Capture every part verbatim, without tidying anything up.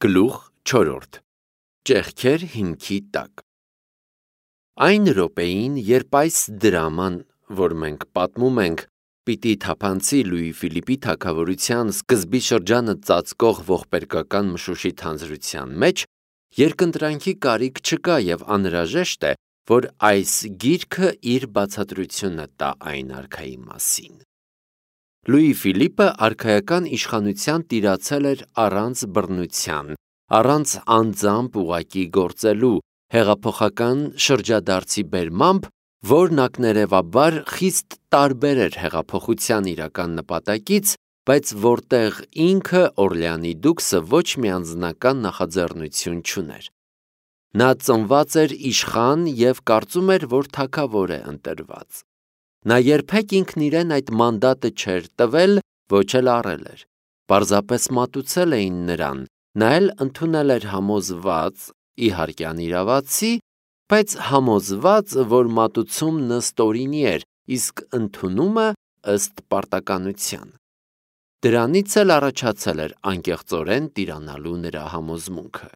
Գլուխ չորրորդ. Ճեղքեր հիմքի տակ։ Այն րոպեին, երբ այս դրաման, որ մենք պատմում ենք, պիտի թափանցի Լուի Ֆիլիպի թագավորության սկզբի շրջանը ծածկող ողբերգական մշուշի թանձրության մեջ, երկընտրանքի կարիք չկա և անհրաժեշտ է, որ այս գիրքը իր բացատրությունը տա այն արքայի մասին։ Լուի Ֆիլիպը արքայական իշխանության տիրացել էր առանց բռնության, առանց անձամբ ուղղակի գործելու, հեղափոխական շրջադարձի բերմամբ, որն ակներևաբար խիստ տարբեր էր հեղափոխության իրական նպատակից, բայց որտեղ ինքը Օրլեանի դուքսը ոչ մի անձնական նախաձեռնություն չուներ։ Նա ծնված էր իշխան և կարծում էր, որ թագավոր է ընտրված։ Նա երբեք ինքն իրեն այդ մանդատը չէր տվել, ոչ էլ առել էր։ Պարզապես մատուցել էին նրան, նա էլ ընդունել էր համոզված, իհարկե անիրավացի, բայց համոզված, որ մատուցումն ըստօրինի էր, իսկ ընդունումը ըստ պարտականության։ Դրանից էլ առաջացել էր անկեղծորեն տիրանալու նրա համոզմունքը։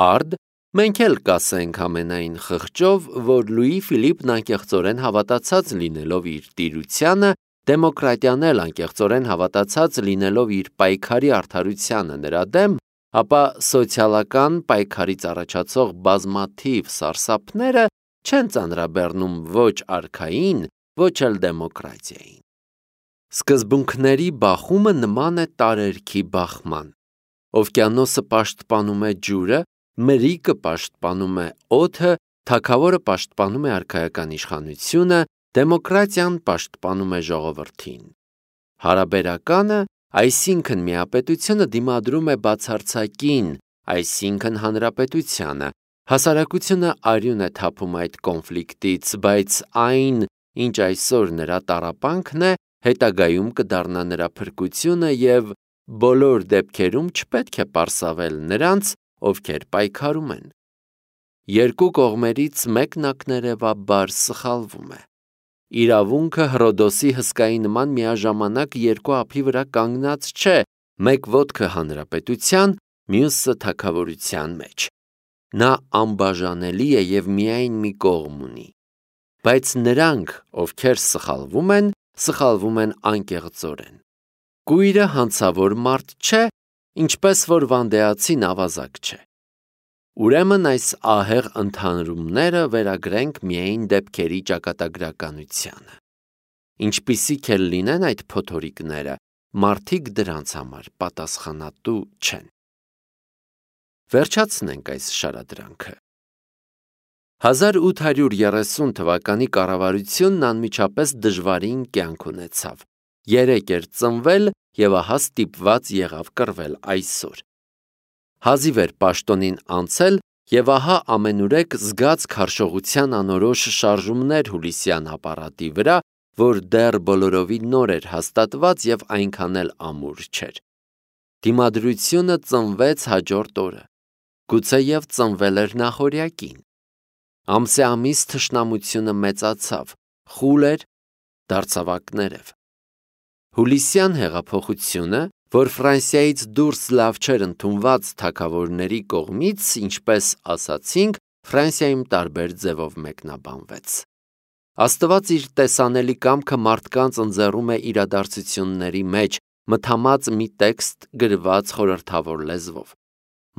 Արդ մենք էլ կասենք ամենայն խղճով, որ Լուի Ֆիլիպն անկեղծորեն հավատացած լինելով իր տիրությանը, դեմոկրատիան էլ անկեղծորեն հավատացած լինելով իր պայքարի արդարությանը նրա դեմ, ապա սոցիալական պայքարից առաջացող բազմաթիվ սարսափները չեն ծանրաբեռնում ոչ արքային, ոչ էլ դեմոկրատիային։ Սկզբունքների բախումը նման է տարերքի բախման։ Օվկիանոսը պաշտպանում է ջուրը, մրրիկը պաշտպանում է օդը, թագավորը պաշտպանում է արքայական իշխանությունը, դեմոկրատիան պաշտպանում է ժողովրդին։ Հարաբերականը, այսինքն միապետությունը դիմադրում է բացարձակին, այսինքն հանրապետությանը, հասարակությունը արյուն է թափում այդ կոնֆլիկտից, բայց այն, ինչ այսօր նրա տառապանքն է, հետագայում կդառնա նրա փրկությունը և բոլոր դեպքերում չպետք է պարսավել նրանց, ովքեր պայքարում են։ Երկու կողմերից մեկն ակներևաբար սխալվում է։ Իրավունքը Հռոդոսի հսկայի նման միաժամանակ երկու ափի վրա կանգնած չէ, մեկ ոտքը հանրապետության, մյուսը թագավորության մեջ։ Նա անբաժանելի է և միայն մի կողմ ունի։ Բայց նրանք, ովքեր սխալվում են, սխալվում են անկեղծորեն։ Կույրը հանցավոր մարդ չէ, ինչպես որ վանդեացին ավազակ չէ։ Ուրեմն այս ահեղ ընդհանրումները վերագրենք միայն դեպքերի ճակատագրականությանը։ Ինչպիսիք էլ լինեն այդ փոթորիկները, մարդիկ դրանց համար պատասխանատու չեն։ Վերջացնենք այս շարադրանքը։ հազար ութ հարյուր երեսուն թվականի կառավարությունն անմիջապես դժվարին կյանք ունեցավ։ Երեկ էր ծնվել և ահա ստիպված եղավ կռվել այսօր։ Հազիվ էր պաշտոնին անցել և ահա ամենուրեք զգաց քարշողության անորոշ շարժումներ Հուլիսյան ապարատի վրա, որ դեռ բոլորովին նոր էր հաստատված և այնքան էլ ամուր չէր։ Դիմադրությունը ծնվեց հաջորդ օրը, գուցեև ծնվել էր նախօրյակին։ Ամսե ամիս թշնամությունը մեծացավ, խուլ էր, դարձավ ակներև։ Հուլիսյան հեղափոխությունը, որ Ֆրանսիայից դուրս լավ չէր ընդունված թագավորների կողմից, ինչպես ասացինք, Ֆրանսիայում տարբեր ձևով մեկնաբանվեց։ Աստված իր տեսանելի կամքը մարդկանց ընձեռում է իրադարձությունների մեջ, մթամած մի տեքստ գրված խորհրդավոր լեզվով։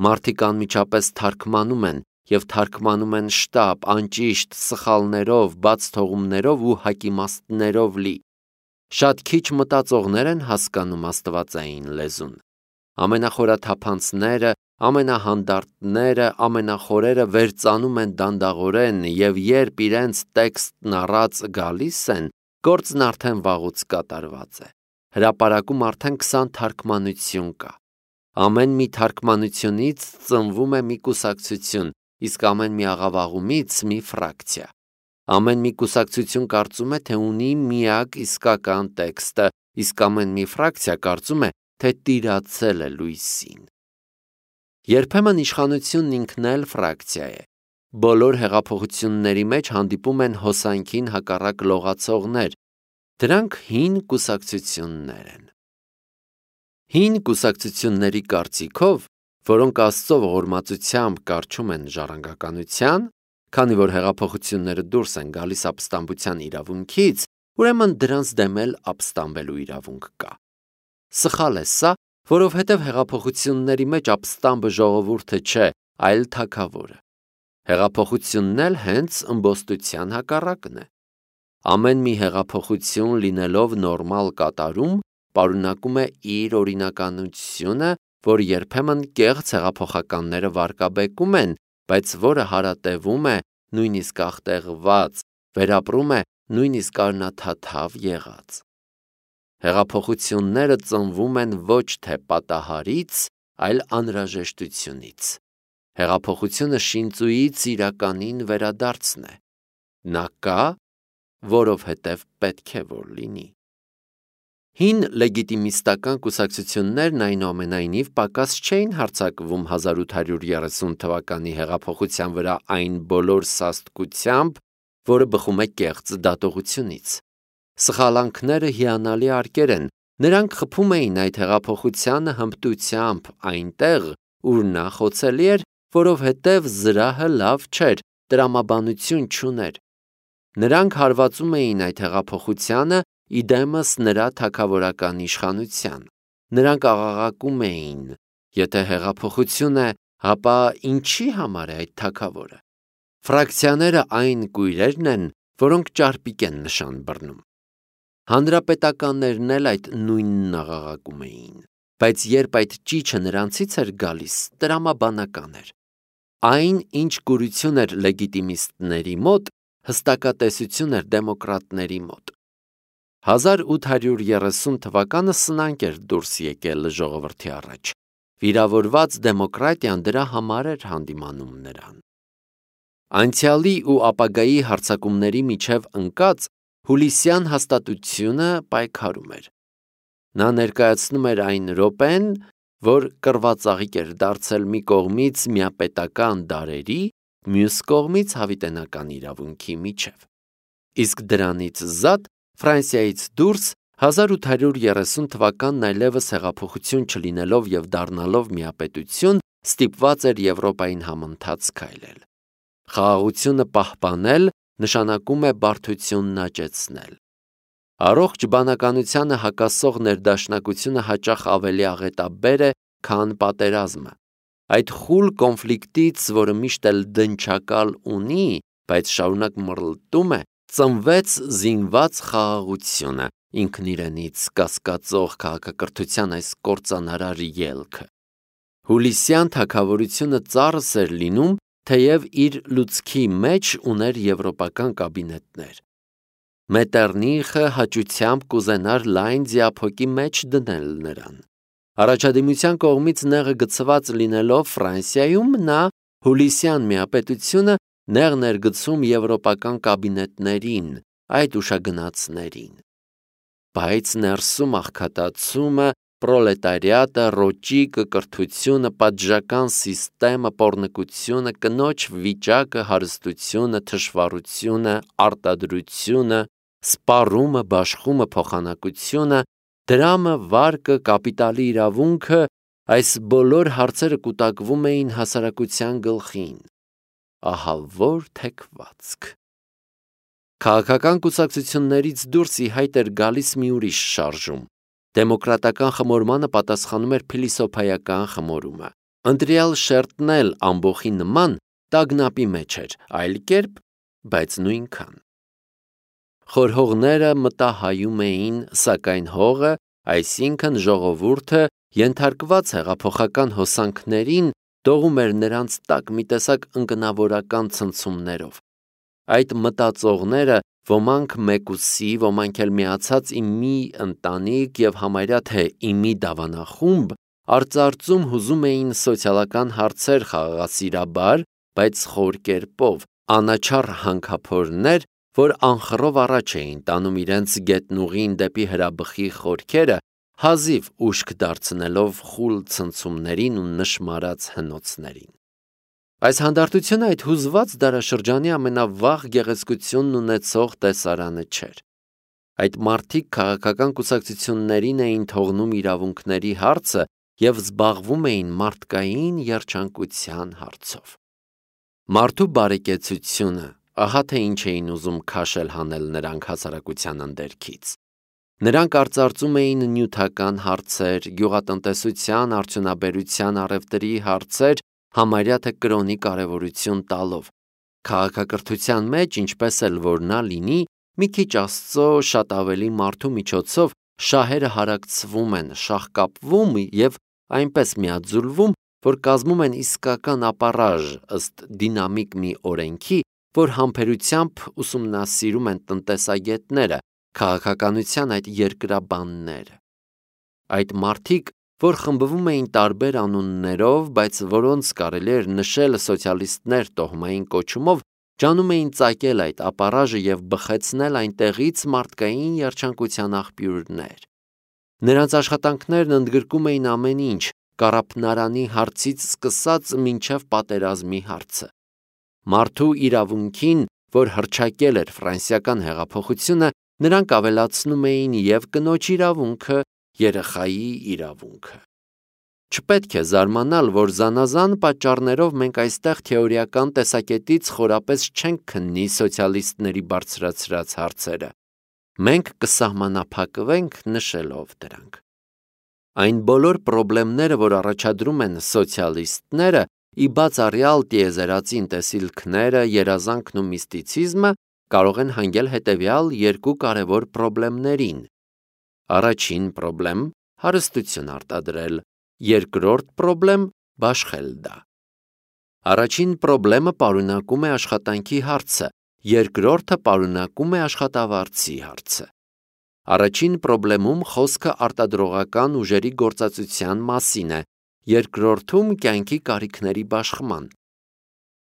Մարդիկ անմիջապես թարգմանում են և թարգմանում են շտապ, անճիշտ, սխալներով, բացթողումներով ու հակիմաստներով լի։ Շատ քիչ մտածողներ են հասկանում աստվածային լեզուն։ Ամենախորաթափանցները, ամենահանդարտները, ամենախորերը վերծանում են դանդաղորեն և երբ իրենց տեքստն առած գալիս են, գործն արդեն վաղուց կատարված է։ Հրապարակում արդեն քսան թարգմանություն կա։ Ամեն մի թարգմանությունից ծնվում է մի կուսակցություն, իսկ ամեն մի աղավաղումից մի ֆրակցիա։ Ամեն մի կուսակցություն կարծում է, թե ունի միակ իսկական տեքստը, իսկ ամեն մի ֆրակցիա կարծում է, թե տիրացել է լույսին։ Երբեմն իշխանությունն ինքն էլ ֆրակցիա է։ Բոլոր հեղափոխությունների մեջ հանդիպում են հոսանքին հակառակ լողացողներ։ Դրանք հին կուսակցություններ են։ Հին կուսակցությունների կարծիքով, որոնք Աստծո ողորմածությամբ կառչում են ժառանգականության, քանի որ հեղափոխությունները դուրս են գալիս ապստամբության իրավունքից, ուրեմն դրանց դեմ էլ ապստամբելու իրավունք կա։ Սխալ է սա, որովհետև հեղափոխությունների մեջ ապստամբը ժողովուրդը չէ, այլ թագավորը։ Հեղափոխությունն էլ հենց ըմբոստության հակառակն է։ Ամեն մի հեղափոխություն լինելով նորմալ կատարում, պարունակում է իր օրինականությունը, որ երբեմն կեղծ հեղափոխականները վարկաբեկում են, բայց որը հարատևում է, նույնիսկ աղտեղված, վերապրում է նույնիսկ արնաթաթավ եղած։ Հեղափոխությունները ծնվում են ոչ թե պատահարից, այլ անհրաժեշտությունից։ Հեղափոխությունը շինծուից իրականին վերադարձն է։ Նա կա, որովհետև պետք է որ լինի։ Հին լեգիտիմիստական կուսակցություններն այնուամենայնիվ պակաս չէին հարձակվում հազար ութ հարյուր երեսուն թվականի հեղափոխության վրա այն բոլոր սաստկությամբ, որը բխում է կեղծ դատողությունից։ Սխալանքները հիանալի արկեր են, նրանք խփում էին այդ հեղափոխությանը հմտությամբ այնտեղ, ուր նա խոցելի էր, որովհետև զրահը լավ չէր, տրամաբանություն չուներ։ Նրանք հարվածում էին այդ հեղափոխությանը իդեմս նրա թագավորական իշխանության։ Նրանք աղաղակում էին. եթե հեղափոխություն է, ապա ինչի համար է այդ թագավորը։ Ֆրակցիաները այն կույրերն են, որոնք ճարպիկ են նշան բռնում։ Հանրապետականներն էլ այդ նույնն աղաղակում էին, բայց երբ այդ ճիչը նրանցից էր գալիս, տրամաբանական էր։ Այն, ինչ կուրություն էր լեգիտիմիստների մոտ, հստակատեսություն էր դեմոկրատների մոտ։ հազար ութ հարյուր երեսուն թվականը սնանկ էր դուրս եկել ժողովրդի առաջ։ Վիրավորված դեմոկրատիան դրա համար էր հանդիմանում նրան։ Անցյալի ու ապագայի հարձակումների միջև ընկած հուլիսյան հաստատությունը պայքարում էր։ Նա ներկայացնում էր այն րոպեն, որ կռվածաղիկ էր դարձել մի կողմից միապետական դարերի, մյուս կողմից հավիտենական իրավունքի միջև։ Իսկ դրանից զատ Ֆրանսիայից դուրս հազար ութ հարյուր երեսուն թվականն այլևս հեղափոխություն չլինելով և դառնալով միապետություն, ստիպված էր Եվրոպային համընթաց քայլել։ Խաղաղությունը պահպանել նշանակում է բարդությունն աճեցնել։ Առողջ բանականությանը հակասող ներդաշնակությունը հաճախ ավելի աղետաբեր է, քան պատերազմը։ Այդ խուլ կոնֆլիկտից, որը միշտ էլ դնչակալ ունի, բայց շարունակ մռլտում է, ծնվեց զինված խաղաղությունը, ինքն իրենից կասկածող քաղաքակրթության այս կործանարար ելքը։ Հուլիսյան թագավորությունը ծառս էր լինում, թեև իր լուցքի մեջ ուներ եվրոպական կաբինետներ։ Մետեռնիխը հաճությամբ կուզենար լայն ձիափոկի մեջ դնել նրան։ Առաջադիմության կողմից նեղը գցված լինելով Ֆրանսիայում, նա հուլիսյան միապետությունը նեղն էր գցում եվրոպական կաբինետներին, այդ ուշագնացներին։ Բայց ներսում աղքատացումը, պրոլետարիատը, ռոճիկը, կրթությունը, պատժական սիստեմը, պոռնկությունը, կնոջ վիճակը, հարստությունը, թշվառությունը, արտադրությունը, սպառումը, բաշխումը, փոխանակությունը, դրամը, վարկը, կապիտալի իրավունքը, այս բոլոր հարցերը կուտակվում էին հասարակության գլխին։ Ահա որ թեքվածք։ Քաղաքական կուսակցություններից դուրս ի հայտ էր գալիս մի ուրիշ շարժում։ Դեմոկրատական խմորմանը պատասխանում էր փիլիսոփայական խմորումը։ Ընտրյալ շերտն էլ ամբոխի նման տագնապի մեջ էր, այլ կերպ, բայց նույնքան։ Խորհողները մտահայում էին, սակայն հողը, այսինքն ժողովուրդը, ենթարկված հեղափոխական հոսանքներին, դողում էր նրանց տակ մի տեսակ ընկնավորական ցնցումներով։ Այդ մտածողները, ոմանք մեկուսի, ոմանք էլ միացած ի մի ընտանիք և համարյա թե ի մի դավանախումբ, արծարծում հուզում էին սոցիալական հարցեր խաղաղասիրաբար, բայց խոր կերպով, անաչառ հանքափորներ, որ անխռով առաջ էին տանում իրենց գետնուղին դեպի հրաբխի խորքերը, հազիվ ուշք դարձնելով խուլ ցնցումներին ու նշմարած հնոցներին։ Այս հանդարտությունը այդ հուզված դարաշրջանի ամենավաղ գեղեցկությունն ունեցող տեսարանը չէր։ Այդ մարդիկ քաղաքական կուսակցություններին էին թողնում իրավունքների հարցը և զբաղվում էին մարդկային երջանկության հարցով։ Մարդու բարեկեցությունը, ահա թե ինչ էին ուզում քաշել հանել նրանք հասարակության ընդերքից։ Նրանք արծարծում էին նյութական հարցեր, գյուղատնտեսության, արդյունաբերության, առևտրի հարցեր, համարյա թե կրոնի կարևորություն տալով։ Քաղաքակրթության մեջ, ինչպես էլ որ նա լինի, մի քիչ Աստծո, շատ ավելի մարդու միջոցով շահերը հարակցվում են, շաղկապվում և այնպես միաձուլվում, որ կազմում են իսկական ապառաժ ըստ դինամիկ մի օրենքի, որ համբերությամբ ուսումնասիրում են տնտեսագետները, քաղաքականության այդ երկրաբանները։ Այդ մարդիկ, որ խմբվում էին տարբեր անուններով, բայց որոնց կարելի էր նշել սոցիալիստներ տոհմային կոչումով, ջանում էին ծակել այդ ապառաժը և բխեցնել այնտեղից մարդկային երջանկության աղբյուրներ։ Նրանց աշխատանքներն ընդգրկում էին ամեն ինչ, կառափնարանի հարցից սկսած մինչև պատերազմի հարցը։ Մարդու իրավունքին, որ հռչակել էր ֆրանսիական հեղափոխությունը, նրանք ավելացնում էին և կնոջ իրավունքը, երեխայի իրավունքը։ Չպետք է զարմանալ, որ զանազան պատճառներով մենք այստեղ թեորիական տեսակետից խորապես չենք քննի սոցիալիստների բարձրացրած հարցերը։ Մենք կսահմանափակվենք նշելով դրանք։ Այն բոլոր պրոբլեմները, որ առաջադրում են սոցիալիստները, ի բացառյալ տիեզերածին տեսիլքները, երազանքն ու միստիցիզմը, կարող են հանգել հետևյալ երկու կարևոր պրոբլեմներին։ Առաջին պրոբլեմ՝ հարստություն արտադրել, երկրորդ պրոբլեմ՝ բաշխել դա։ Առաջին պրոբլեմը պարունակում է աշխատանքի հարցը, երկրորդը պարունակում է աշխատավարձի հարցը։ Առաջին պրոբլեմում խոսքը արտադրողական ուժերի գործածության մասին է, երկրորդում կյանքի կարիքների բաշխման։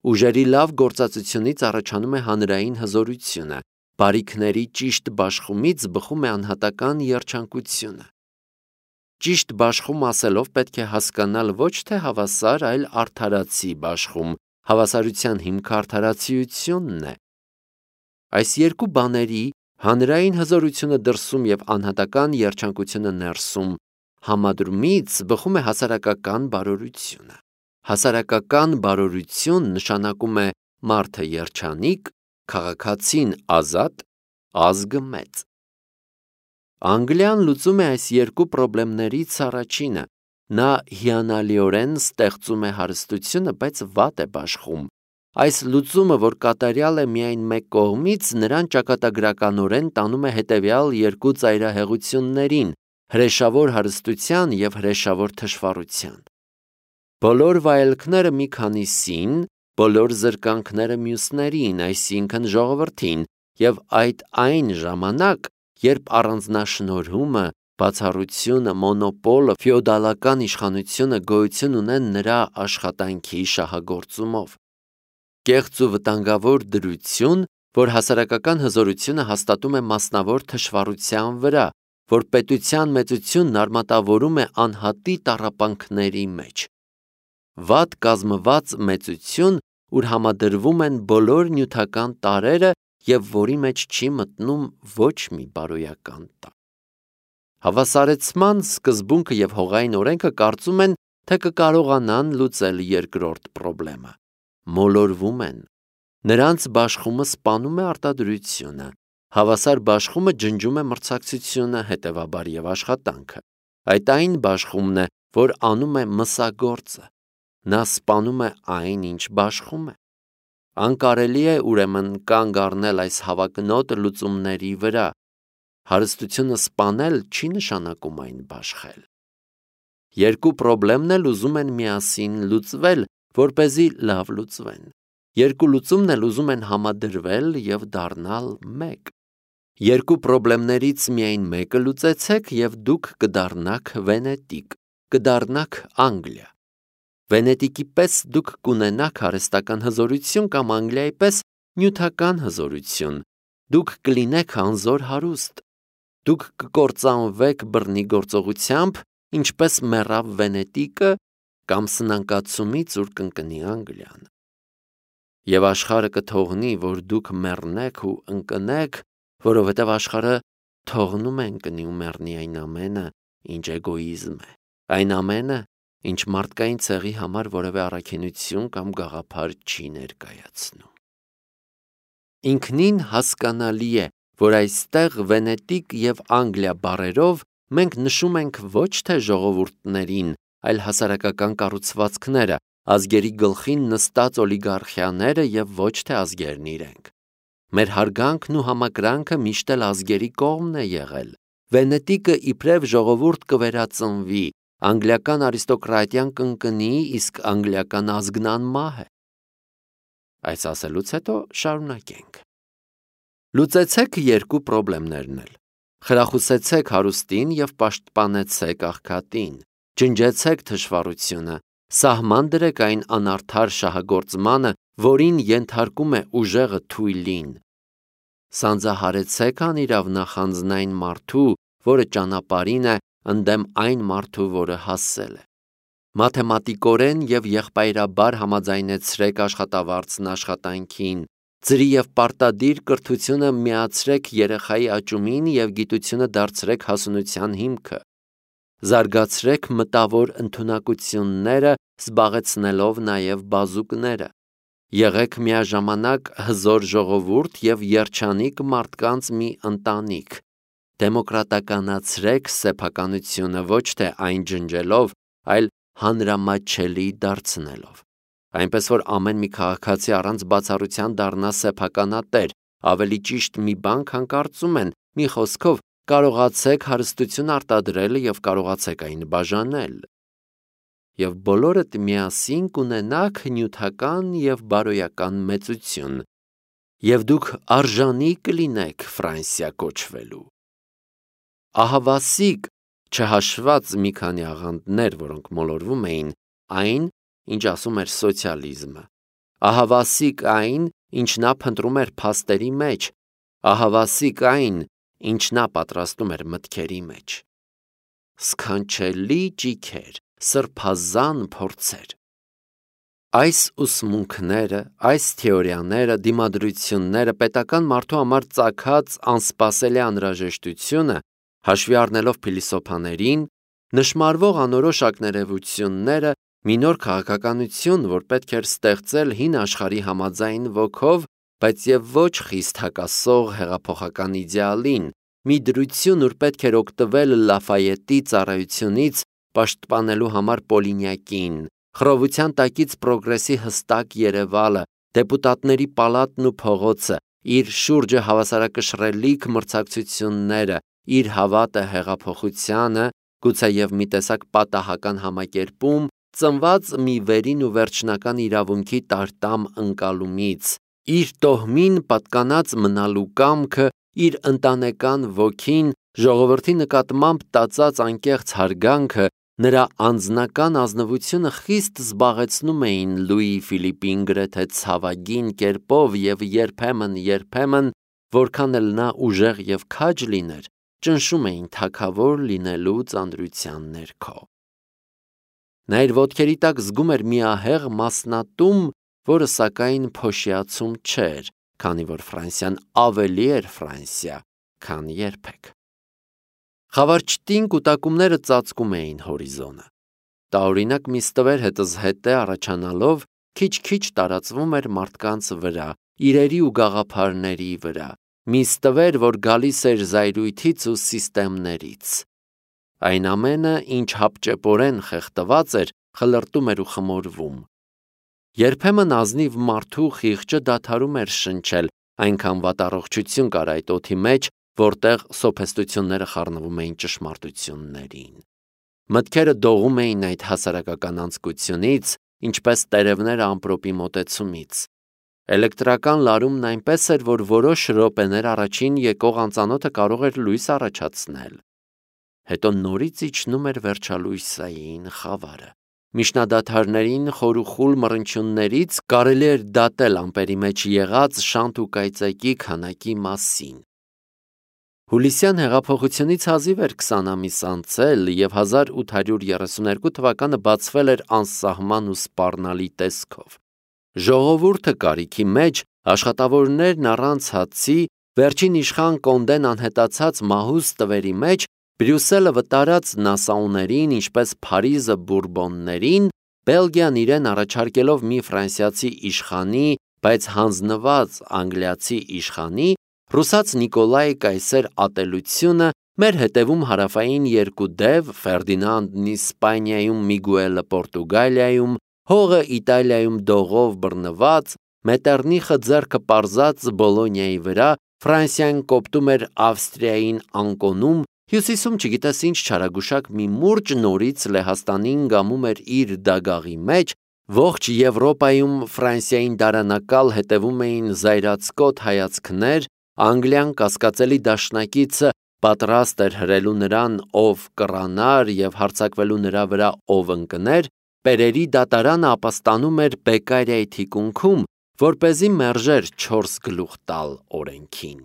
Ուժերի լավ գործածությունից առաջանում է հանրային հզորությունը, բարիքների ճիշտ բաշխումից բխում է անհատական երջանկությունը։ Ճիշտ բաշխում ասելով պետք է հասկանալ ոչ թե հավասար, այլ արդարացի բաշխում, հավասարության հիմքը արդարացիությունն է։ Այս երկու բաների՝ հանրային հզորությունը դրսում և անհատական երջանկությունը ներսում, համադրումից բխում է հասարակական բարօրությունը։ Հասարակական բարօրություն նշանակում է մարդը երջանիկ, քաղաքացին ազատ, ազգը մեծ։ Անգլիան լուծում է այս երկու պրոբլեմներից առաջինը։ Նա հիանալիորեն ստեղծում է հարստությունը, բայց վատ է բաշխում։ Այս լուծումը, որ կատարյալ է միայն մեկ կողմից, նրան ճակատագրականորեն տանում է հետևյալ երկու ծայրահեղություններին՝ հրեշավոր հարստության և հրեշավոր թշվառության։ Բոլոր վայելքները մի քանիսին, բոլոր զրկանքները մյուսներին, այսինքն ժողովրդին, և այդ այն ժամանակ, երբ առանձնաշնորհումը, բացառությունը, մոնոպոլը, ֆեոդալական իշխանությունը գոյություն ունեն նրա աշխատանքի շահագործումով։ Կեղծ ու վտանգավոր դրություն, որ հասարակական հզորությունը հաստատում է մասնավոր թշվառության վրա, որ պետության մեծությունն արմատավորում է անհատի տառապանքների մեջ։ Վատ կազմված մեծություն, ուր համադրվում են բոլոր նյութական տարրերը և որի մեջ չի մտնում ոչ մի բարոյական տառ։ Հավասարեցման սկզբունքը և հողային օրենքը կարծում են, թե կկարողանան լուծել երկրորդ պրոբլեմը։ Մոլորվում են։ Նրանց բաշխումը սպանում է արտադրությունը, հավասար բաշխումը ջնջում է մրցակցությունը, հետևաբար և աշխատանքը։ Այդ այն բաշխումն է, որ անում է մսագործը։ Նա սպանում է այն, ինչ բաշխում է։ Անկարելի է ուրեմն կանգ առնել այս հավակնոտ լուծումների վրա։ Հարստությունը սպանել չի նշանակում այն բաշխել։ Երկու պրոբլեմն էլ ուզում են միասին լուծվել, որպեսզի լավ լուծվեն։ Երկու լուծումն էլ ուզում են համադրվել և դառնալ մեկ։ Երկու պրոբլեմներից միայն մեկը լուծեցեք, և դուք կդառնաք Վենետիկ, կդառնաք Անգլիա։ Վենետիկի պես դուք կունենաք հարստական հզորություն կամ Անգլիայի պես նյութական հզորություն։ Դուք կլինեք անզոր հարուստ։ Դուք կկործանվեք բռնի գործողությամբ, ինչպես մեռավ Վենետիկը, կամ սնանկացումից, ուր կընկնի Անգլիան։ Եվ աշխարհը կթողնի, որ դուք մեռնեք ու ընկնեք, որովհետև աշխարհը թողնում են կնի ու մեռնի այն ամենը, ինչ էգոիզմ է, այն ամենը, ինչ մարդկային ցեղի համար որևէ առաքինություն կամ գաղափար չի ներկայացնում։ Ինքնին հասկանալի է, որ այստեղ Վենետիկ և Անգլիա բառերով մենք նշում ենք ոչ թե ժողովուրդներին, այլ հասարակական կառուցվածքները, ազգերի գլխին նստած օլիգարխիաները և ոչ թե ազգերն իրենք։ Մեր հարգանքն ու համակրանքը միշտ էլ ազգերի կողմն է եղել։ Վենետիկը իբրև ժողովուրդ կվերածնվի, անգլիական արիստոկրատիան կընկնի, իսկ անգլիական ազգն անմահ է։ Այս ասելուց հետո շարունակենք։ Լուծեցեք երկու պրոբլեմներն էլ։ Խրախուսեցեք հարուստին և պաշտպանեցեք աղքատին։ Ջնջեցեք թշվառությունը, սահման դրեք այն անարդար շահագործմանը, որին ենթարկում է ուժեղը թույլին։ Սանձահարեցեք անիրավ նախանձնային մարդու, որը ճանապարհին է, ընդդեմ այն մարդու, որը հասել է։ Մաթեմատիկորեն և եղբայրաբար համաձայնեցրեք աշխատավարձն աշխատանքին, ծրի և պարտադիր կրթությունը միացրեք երեխայի աճումին և գիտությունը դարձրեք հասունության հիմքը։ Զարգացրեք մտավոր ընդունակությունները, զբաղեցնելով նաև բազուկները։ Եղեք միաժամանակ հզոր ժողովուրդ և երջանիկ մարդկանց մի ընտանիք։ Դեմոկրատականացրեք սեփականությունը ոչ թե այն ջնջելով, այլ հանրամատչելի դարձնելով։ Այնպես որ ամեն մի քաղաքացի առանց բացառության դառնա սեփականատեր, ավելի ճիշտ մի բան, քան կարծում են, մի խոսքով կարողացեք հարստություն արտադրել և կարողացեք այն բաժանել։ Եվ բոլորդ միասին կունենաք նյութական և բարոյական մեծություն, և դուք արժանի կլինեք Ֆրանսիա կոչվելու։ Ահավասիկ, չհաշված մի քանի աղանդներ, որոնք մոլորվում էին, այն, ինչ ասում էր սոցիալիզմը, ահավասիկ այն, ինչ նա փնտրում էր փաստերի մեջ, ահավասիկ այն, ինչ նա պատրաստում էր մտքերի մեջ։ Սքանչելի ճիգեր, սրբազան փորձեր։ Այս ուսմունքները, այս թեորիաները, դիմադրությունները, պետական մարդու համար ծագած անսպասելի անհրաժեշտությունը, հաշվի առնելով փիլիսոփաներին, նշմարվող անորոշ ակներևությունները, մի նոր քաղաքականություն, որ պետք էր ստեղծել հին աշխարհի համաձայն ոգով, բայց և ոչ խիստ հակասող հեղափոխական իդեալին, մի դրություն, ուր պետք էր օգտվել Լաֆայետի ծառայությունից, պաշտպանելու համար Պոլինյակին, խռովության տակից պրոգրեսի հստակ երևալը, դեպուտատների պալատն ու փողոցը, իր շուրջը հավասարակշռելիք մրցակցությունները, իր հավատը հեղափոխությանը, գուցեև մի տեսակ պատահական համակերպում, ծնված մի վերին ու վերջնական իրավունքի տարտամ ընկալումից, իր տոհմին պատկանած մնալու կամքը, իր ընտանեկան ոգին, ժողովրդի նկատմամբ տածած անկեղծ հարգանքը, նրա անձնական ազնվությունը խիստ զբաղեցնում էին Լուի Ֆիլիպին գրեթե ցավագին կերպով և երբեմն, երբեմն, որքան էլ նա ուժեղ և քաջ լիներ, ճնշում էին թագավոր լինելու ծանրության ներքո։ Նա իր ոտքերի տակ զգում էր մի ահեղ մասնատում, որը սակայն փոշիացում չէր, քանի որ Ֆրանսիան ավելի էր Ֆրանսիա, քան երբեք։ Խավարչտին կուտակումները ծածկում էին հորիզոնը։ Տարօրինակ մի ստվեր հետզհետե առաջանալով քիչ-քիչ տարածվում էր մարդկանց վրա, իրերի ու գաղափարների վրա, մի ստվեր, որ գալիս էր զայրույթից ու սիստեմներից։ Այն ամենը, ինչ հապճեպորեն խեղդված էր, խլրտում էր ու խմորվում։ Երբեմն ազնիվ մարդու խիղճը դադարում էր շնչել, այնքան վատառողջություն կար այդ օդի մեջ, որտեղ սոփեստությունները խառնվում էին ճշմարտություններին։ Մտքերը դողում էին այդ հասարակական անձկությունից, ինչպես տերևները ամպրոպի մոտեցումից։ Էլեկտրական լարումն այնպես էր, որ որոշ րոպեներ առաջին եկող անծանոթը կարող էր լույս առաջացնել։ Հետո նորից իջնում էր վերջալույսային խավարը։ Միջնադադարներին խորուխուլ մռնչյուններից կարելի էր դատել ամպերի մեջ եղած շանթ ու կայծակի քանակի մասին։ Հուլիսյան հեղափոխությունից հազիվ էր քսան ամիս անցել, և հազար ութ հարյուր երեսունհինգ թվականը բացվել էր անսահման ու սպառնալի տեսքով։ Ժողովուրդը կարիքի մեջ, աշխատավորներն առանց հացի, Վերջին իշխան Կոնդեն անհետացած մահուս տվերի մեջ Բրյուսելը վտարած նասաուներին, ինչպես Փարիզը բուրբոններին, Բելգիան իրեն առաջարկելով մի ֆրանսիացի իշխանի, բայց հանձնված անգլիացի իշխանի, ռուսաց Նիկոլայ կայսեր ատելությունը, մեր հետևում հարավային երկու դև, Ֆերդինանդն Իսպանիայում, Միգուելը Պորտուգալիայում, հողը Իտալիայում դողով բռնված, Մետեռնիխը ձեռքը պարզած Բոլոնիայի վրա, Ֆրանսիան կոպտում էր Ավստրիային անկոնում, հյուսիսում չգիտես ինչ չարագուշակ մի մուրճ նորից Լեհաստանին գամում էր իր դագաղի մեջ, ողջ Եվրոպայում Ֆրանսիային դարանակալ հետևում էին զայրացկոտ հայացքներ, Անգլիան կասկածելի դաշնակիցը պատրաստ էր հրելու նրան, ով կռանար և հարձակվելու նրա վրա, ով ընկներ, Պերերի դատարանը ապաստանում էր Բեկկարիայի թիկունքում, որպեսզի մերժեր չորս գլուխ տալ օրենքին։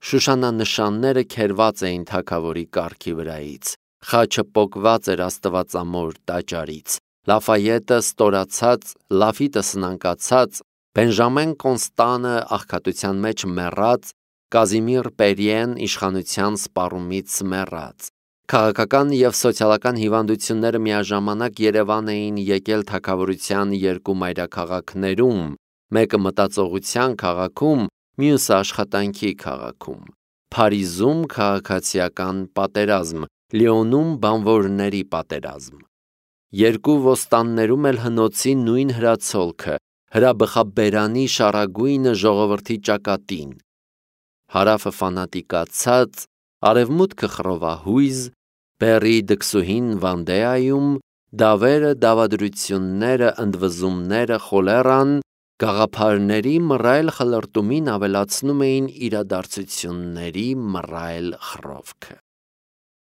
Շուշանանշանները քերված էին թագավորի կառքի վրայից, խաչը պոկված էր աստվածամոր տաճարից, Լաֆայետը ստորացած, Լաֆիտը սնանկացած, Բենժամեն Կոնստանը աղքատության մեջ մեռած, Կազիմիր Պերիեն իշխանության սպառումից մեռած։ Քաղաքական և սոցիալական հիվանդությունները միաժամանակ Երևան էին եկել թագավորության երկու մայրաքաղաքներում, մեկը մտածողության քաղաքում, մյուսը աշխատանքի քաղաքում, Փարիզում քաղաքացիական պատերազմ, Լիոնում բանվորների պատերազմ։ Երկու ոստաններում էլ հնոցի նույն հրացոլքը, հրաբխաբերանի շառագույնը ժողովրդի ճակատին, հարավը ֆանատիկացած, արևմուտքը խռովահույզ, Բեռի դքսուհին Վանդեայում, դավերը, դավադրությունները, ընդվզումները, խոլերան, գաղափարների մռայլ խլրտումին ավելացնում էին իրադարձությունների մռայլ խռովքը։